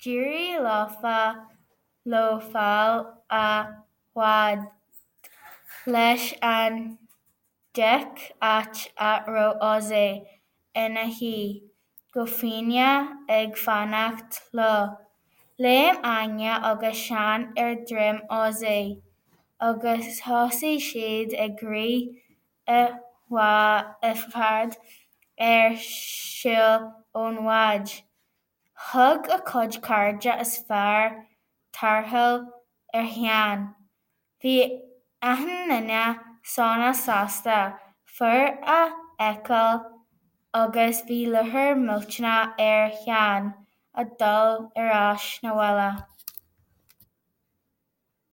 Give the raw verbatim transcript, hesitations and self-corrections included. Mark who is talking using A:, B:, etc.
A: D'éirigh leofa leo fáil a fhad leis an deic áit a raibh Ozzy ina shuí go foighneach ag fanacht leo. Léim Áine agus Seán ar dhroim Ozzy agus thosaigh siad ag rith i bhfad ar shiúl ón bhád. Thug a chuid cairde is fearr tarrtháil ar Sheán. Bhí achan duine sona sásta fear a fheiceáil agus bhí lúcháir mhillteanach ar Sheán a dhul ar ais 'na bhaile.